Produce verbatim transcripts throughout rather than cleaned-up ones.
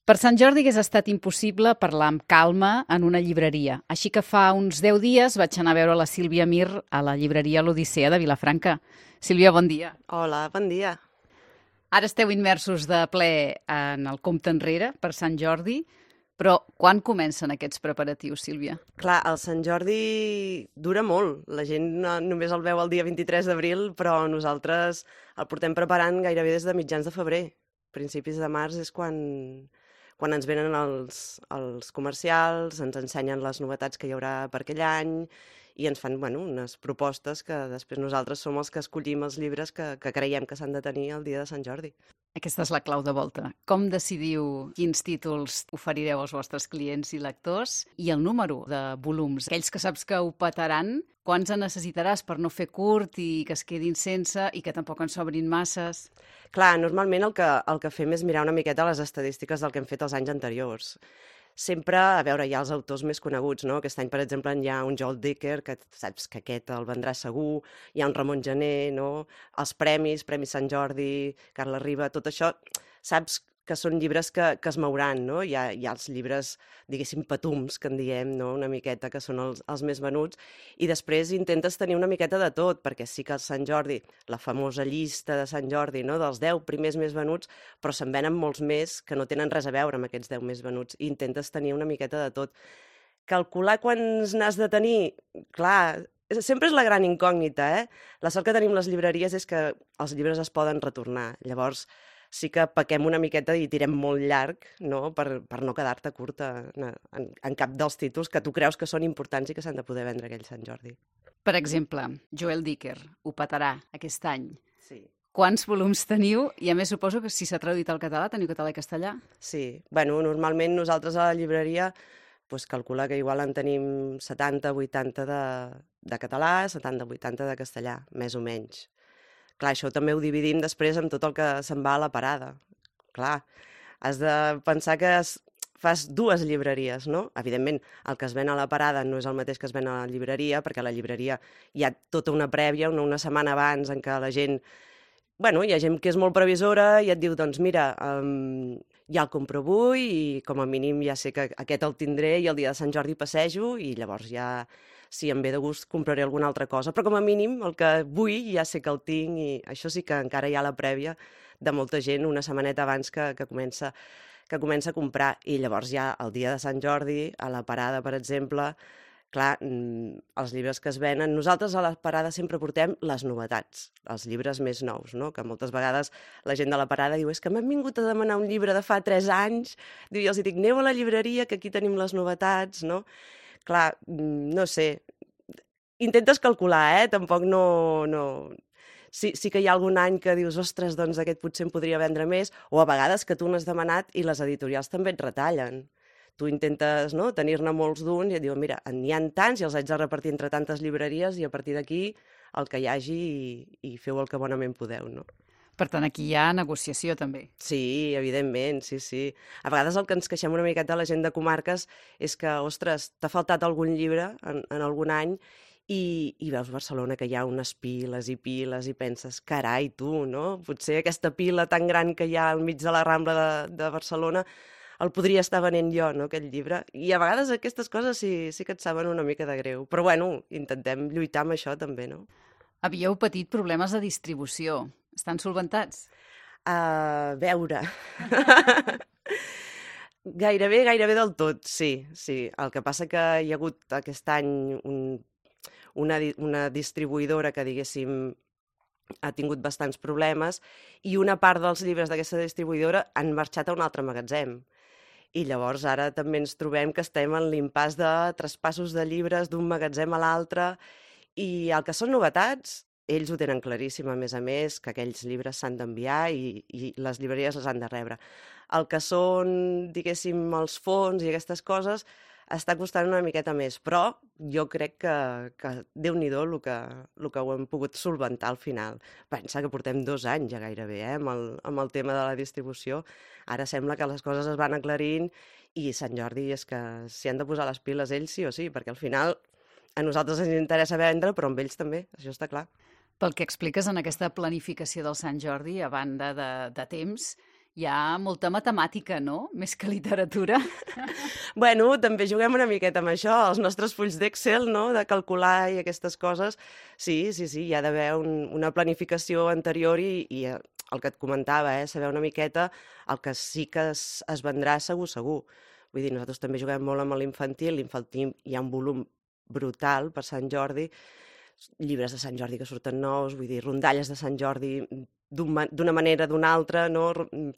Per Sant Jordi hagués estat impossible parlar amb calma en una llibreria, així que fa uns deu dies vaig anar a veure la Sílvia Mir a la llibreria L'Odissea de Vilafranca. Sílvia, bon dia. Hola, bon dia. Ara esteu immersos de ple en el compte enrere per Sant Jordi, però quan comencen aquests preparatius, Sílvia? Clar, el Sant Jordi dura molt. La gent no, només el veu el dia vint-i-tres d'abril, però nosaltres el portem preparant gairebé des de mitjans de febrer. Principis de març és quan, quan ens venen els, els comercials, ens ensenyen les novetats que hi haurà per aquell any i ens fan bueno, unes propostes que després nosaltres som els que escollim els llibres que, que creiem que s'han de tenir el dia de Sant Jordi. Aquesta és la clau de volta. Com decidiu quins títols oferireu als vostres clients i lectors i el número de volums? Aquells que saps que ho petaran, quants en necessitaràs per no fer curt i que es quedin sense i que tampoc en sobrin masses? Clar, normalment el que, el que fem és mirar una miqueta les estadístiques del que hem fet els anys anteriors. Sempre, a veure, hi ha els autors més coneguts, no? Aquest any, per exemple, hi ha un Joel Dicker, que saps que aquest el vendrà segur, hi ha un Ramon Gené, no? Els premis, Premi Sant Jordi, Carla Riba, tot això, saps que són llibres que, que es mouran, no? Hi ha, hi ha els llibres, diguéssim, patums, que en diem, no? Una miqueta, que són els, els més venuts, i després intentes tenir una miqueta de tot, perquè sí que el Sant Jordi, la famosa llista de Sant Jordi, no? Dels deu primers més venuts, però se'n venen molts més que no tenen res a veure amb aquests deu més venuts, i intentes tenir una miqueta de tot. Calcular quants n'has de tenir, clar, sempre és la gran incògnita, eh? La sort que tenim les llibreries és que els llibres es poden retornar, llavors sí que paquem una miqueta i tirem molt llarg, no? per, per no quedar-te curta en, en, en cap dels títols que tu creus que són importants i que s'han de poder vendre aquell Sant Jordi. Per exemple, Joel Dicker ho petarà aquest any. Sí. Quants volums teniu? I a més suposo que si s'ha traduït al català, teniu català i castellà? Sí, bueno, normalment nosaltres a la llibreria pues, calcula que igual en tenim setanta vuitanta de, de català, setanta vuitanta de castellà, més o menys. Clar, això també ho dividim després amb tot el que se'n va a la parada. Clar, has de pensar que es, fas dues llibreries, no? Evidentment, el que es ven a la parada no és el mateix que es ven a la llibreria, perquè a la llibreria hi ha tota una prèvia, una, una setmana abans en què la gent... Bueno, hi ha gent que és molt previsora i et diu, doncs mira, um, ja el compro avui i com a mínim ja sé que aquest el tindré i el dia de Sant Jordi passejo i llavors ja... si em ve de gust compraré alguna altra cosa, però com a mínim el que vull ja sé que el tinc i això sí que encara hi ha la prèvia de molta gent una setmaneta abans que, que, comença, que comença a comprar i llavors ja el dia de Sant Jordi, a la parada per exemple, clar, els llibres que es venen, nosaltres a la parada sempre portem les novetats, els llibres més nous, no? Que moltes vegades la gent de la parada diu és que m'han vingut a demanar un llibre de fa tres anys, diu, i els dic, aneu a la llibreria que aquí tenim les novetats, no? Clar, no sé, intentes calcular, eh? Tampoc no... no... Sí, sí que hi ha algun any que dius, ostres, doncs aquest potser em podria vendre més, o a vegades que tu n'has demanat i les editorials també et retallen. Tu intentes no, tenir-ne molts d'uns i et diuen, mira, n'hi ha tants i els haig de repartir entre tantes llibreries i a partir d'aquí el que hi hagi i, i feu el que bonament podeu, no? Per tant, aquí hi ha negociació, també. Sí, evidentment, sí, sí. A vegades el que ens queixem una miqueta a la gent de comarques és que, ostres, t'ha faltat algun llibre en, en algun any i, i veus Barcelona que hi ha unes piles i piles i penses, carai, tu, no? Potser aquesta pila tan gran que hi ha al mig de la Rambla de, de Barcelona el podria estar venent jo, no, aquest llibre. I a vegades aquestes coses sí, sí que et saben una mica de greu. Però, bueno, intentem lluitar amb això també, no? Havíeu patit problemes de distribució. Estan solventats? A veure... gairebé, gairebé del tot, sí, sí. El que passa que hi ha hagut aquest any un, una, una distribuïdora que, diguéssim, ha tingut bastants problemes i una part dels llibres d'aquesta distribuïdora han marxat a un altre magatzem. I llavors ara també ens trobem que estem en l'impàs de traspassos de llibres d'un magatzem a l'altre i el que són novetats... Ells ho tenen claríssim, a més a més, que aquells llibres s'han d'enviar i, i les llibreries les han de rebre. El que són, diguéssim, els fons i aquestes coses està costant una miqueta més, però jo crec que, que Déu-n'hi-do el que, el que ho hem pogut solventar al final. Pensa que portem dos anys ja gairebé eh, amb, el, amb el tema de la distribució. Ara sembla que les coses es van aclarint i Sant Jordi és que s'hi han de posar les piles ells sí o sí, perquè al final a nosaltres ens interessa vendre, però amb ells també, això està clar. Pel que expliques en aquesta planificació del Sant Jordi, a banda de, de temps, Hi ha molta matemàtica, no? Més que literatura. Bueno, també juguem una miqueta amb això, els nostres fulls d'Excel, no?, de calcular i aquestes coses. Sí, sí, sí, hi ha d'haver un, una planificació anterior i, i eh, el que et comentava, eh, saber una miqueta el que sí que es, es vendrà segur, segur. Vull dir, nosaltres també juguem molt amb l'infantil, l'infantil hi ha un volum brutal per Sant Jordi, llibres de Sant Jordi que surten nous, vull dir, rondalles de Sant Jordi d'una manera o d'una altra, no?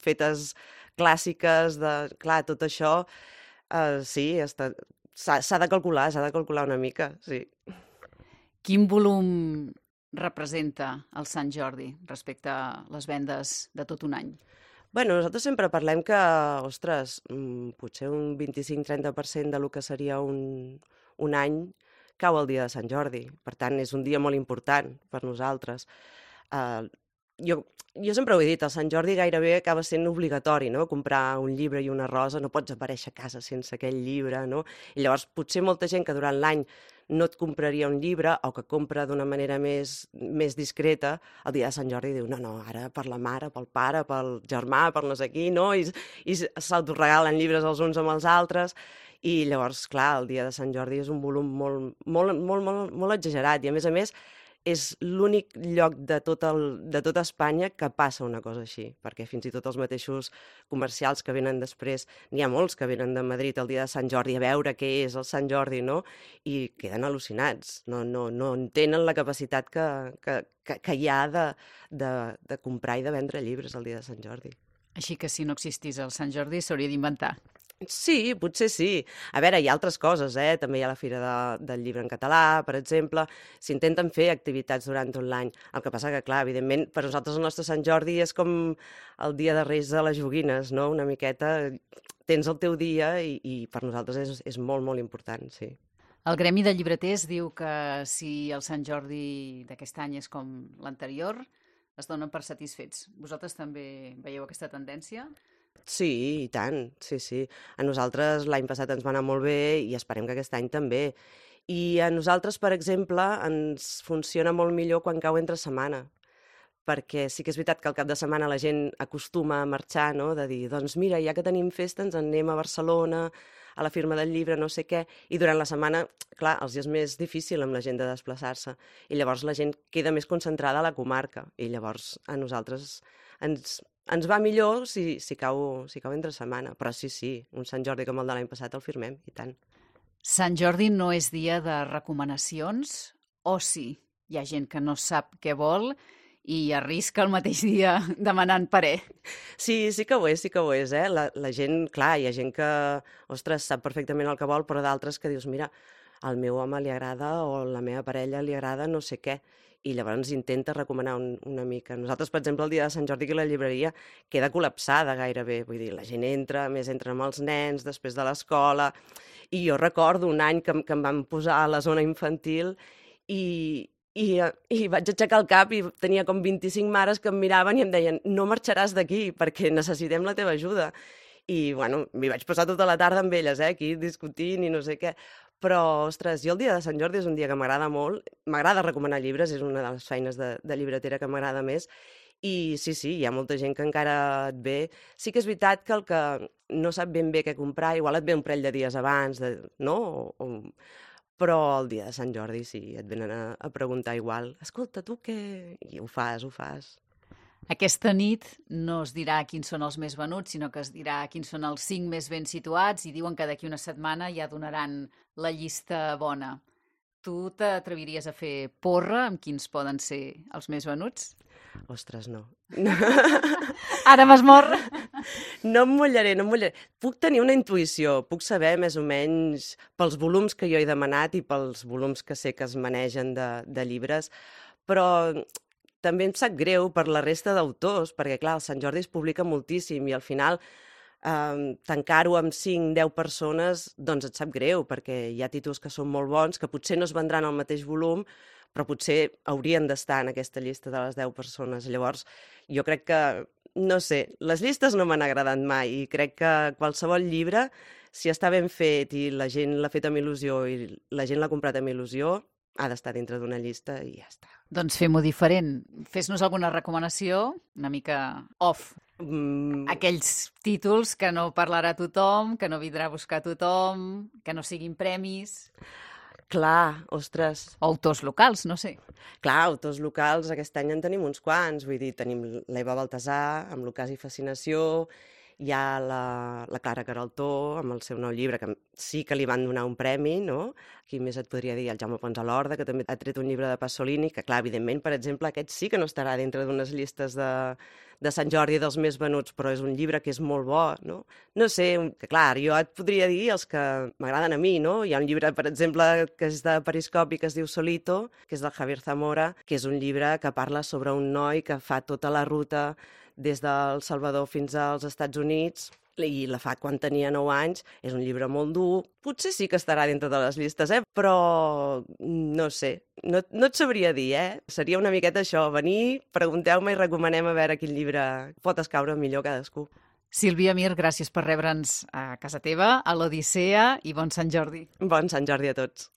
Fetes clàssiques, de... clar, tot això, uh, sí, s'ha de calcular, s'ha de calcular una mica, sí. Quin volum representa el Sant Jordi respecte a les vendes de tot un any? Bueno, nosaltres sempre parlem que, ostres, potser un vint-i-cinc a trenta per cent del que seria un, un any cau el dia de Sant Jordi. Per tant, és un dia molt important per nosaltres. Uh, jo, jo sempre ho he dit, el Sant Jordi gairebé acaba sent obligatori, no?, comprar un llibre i una rosa, no pots aparèixer a casa sense aquell llibre, no? I llavors potser molta gent que durant l'any no et compraria un llibre o que compra d'una manera més, més discreta, el dia de Sant Jordi diu, no, no, ara per la mare, pel pare, pel germà, per no sé qui, no? I, i s'autoregalen llibres els uns amb els altres. I llavors, clar, el dia de Sant Jordi és un volum molt, molt, molt, molt, molt exagerat i, a més a més, és l'únic lloc de tot, el, de tot Espanya que passa una cosa així, perquè fins i tot els mateixos comercials que venen després, n'hi ha molts que venen de Madrid el dia de Sant Jordi a veure què és el Sant Jordi, no? I queden al·lucinats, no, no, no entenen la capacitat que, que, que, que hi ha de, de, de comprar i de vendre llibres el dia de Sant Jordi. Així que si no existís el Sant Jordi s'hauria d'inventar. Sí, potser sí. A veure, hi ha altres coses, eh? També hi ha la Fira de, del Llibre en Català, per exemple. S'intenten fer activitats durant tot l'any. El que passa que, clar, evidentment, per nosaltres el nostre Sant Jordi és com el dia de Reis de les joguines, no? Una miqueta, tens el teu dia i, i per nosaltres és, és molt, molt important, sí. El Gremi de Llibreters diu que si el Sant Jordi d'aquest any és com l'anterior, es donen per satisfets. Vosaltres també veieu aquesta tendència? Sí, i tant, sí, sí. A nosaltres l'any passat ens va anar molt bé i esperem que aquest any també. I a nosaltres, per exemple, ens funciona molt millor quan cau entre setmana, perquè sí que és veritat que al cap de setmana la gent acostuma a marxar, no?, de dir, doncs mira, ja que tenim festa ens en anem a Barcelona, a la firma del llibre, no sé què, i durant la setmana, clar, els és més difícil amb la gent de desplaçar-se, i llavors la gent queda més concentrada a la comarca, i llavors a nosaltres ens... Ens va millor si, si, cau, si cau entre setmana, però sí, sí, un Sant Jordi com el de l'any passat el firmem, i tant. Sant Jordi no és dia de recomanacions, o sí? Hi ha gent que no sap què vol i arrisca el mateix dia demanant parer. Sí, sí que ho és, sí que ho és, eh? La, la gent, clar, hi ha gent que, ostres, sap perfectament el que vol, però d'altres que dius, mira, al meu home li agrada o a la meva parella li agrada no sé què, i llavors intenta recomanar un, una mica. Nosaltres, per exemple, el dia de Sant Jordi que la llibreria queda col·lapsada gairebé, vull dir, la gent entra, més entren amb els nens després de l'escola, i jo recordo un any que, que em van posar a la zona infantil i, i, i vaig aixecar el cap i tenia com vint-i-cinc mares que em miraven i em deien no marxaràs d'aquí perquè necessitem la teva ajuda. I, bueno, m'hi vaig passar tota la tarda amb elles, eh, aquí discutint i no sé què. Però, ostres, jo el dia de Sant Jordi és un dia que m'agrada molt. M'agrada recomanar llibres, és una de les feines de, de llibretera que m'agrada més. I sí, sí, hi ha molta gent que encara et ve. Sí que és veritat que el que no sap ben bé què comprar, igual et ve un parell de dies abans, de, no? O, o... Però el dia de Sant Jordi sí, et venen a, a preguntar igual. Escolta, tu què? I ho fas, ho fas. Aquesta nit no es dirà quins són els més venuts, sinó que es dirà quins són els cinc més ben situats i diuen que d'aquí una setmana ja donaran la llista bona. Tu t'atreviries a fer porra amb quins poden ser els més venuts? Ostres, no. Ara m'has mort! No em mullaré, no em mullaré. Puc tenir una intuïció, puc saber més o menys pels volums que jo he demanat i pels volums que sé que es manegen de, de llibres, però també em sap greu per la resta d'autors, perquè, clar, el Sant Jordi es publica moltíssim i al final eh, tancar-ho amb cinc deu persones, doncs et sap greu, perquè hi ha títols que són molt bons, que potser no es vendran al mateix volum, però potser haurien d'estar en aquesta llista de les deu persones. Llavors, jo crec que, no sé, les llistes no m'han agradat mai i crec que qualsevol llibre, si està ben fet i la gent l'ha fet amb il·lusió i la gent l'ha comprat amb il·lusió, ha d'estar dintre d'una llista i ja està. Doncs fem-ho diferent. Fes-nos alguna recomanació, una mica off. Mm, Aquells títols que no parlarà tothom, que no vindrà a buscar tothom, que no siguin premis. clar, ostres, O autors locals, no sé. clar, autors locals, aquest any en tenim uns quants, vull dir, tenim l'Eva Baltasar, amb l'Ocàs i Fascinació, hi ha la, la Clara Queraltó, amb el seu nou llibre, que sí que li van donar un premi, no? Qui més et podria dir? El Jaume Pons a l'Horda, que també ha tret un llibre de Pasolini, que clar, evidentment, per exemple, aquest sí que no estarà dintre d'unes llistes de, de Sant Jordi dels més venuts, però és un llibre que és molt bo, no? No sé, que clar, jo et podria dir els que m'agraden a mi, no? Hi ha un llibre, per exemple, que és de Periscopi, que es diu Solito, que és del Javier Zamora, que és un llibre que parla sobre un noi que fa tota la ruta des del Salvador fins als Estats Units, i la fa quan tenia nou anys. És un llibre molt dur, potser sí que estarà dintre de les llistes, eh? Però no sé, no, no et sabria dir, eh? Seria una miqueta això, venir, pregunteu-me i recomanem a veure quin llibre pot escaure millor cadascú. Sílvia Mir, gràcies per rebre'ns a casa teva, a l'Odissea, i bon Sant Jordi. Bon Sant Jordi a tots.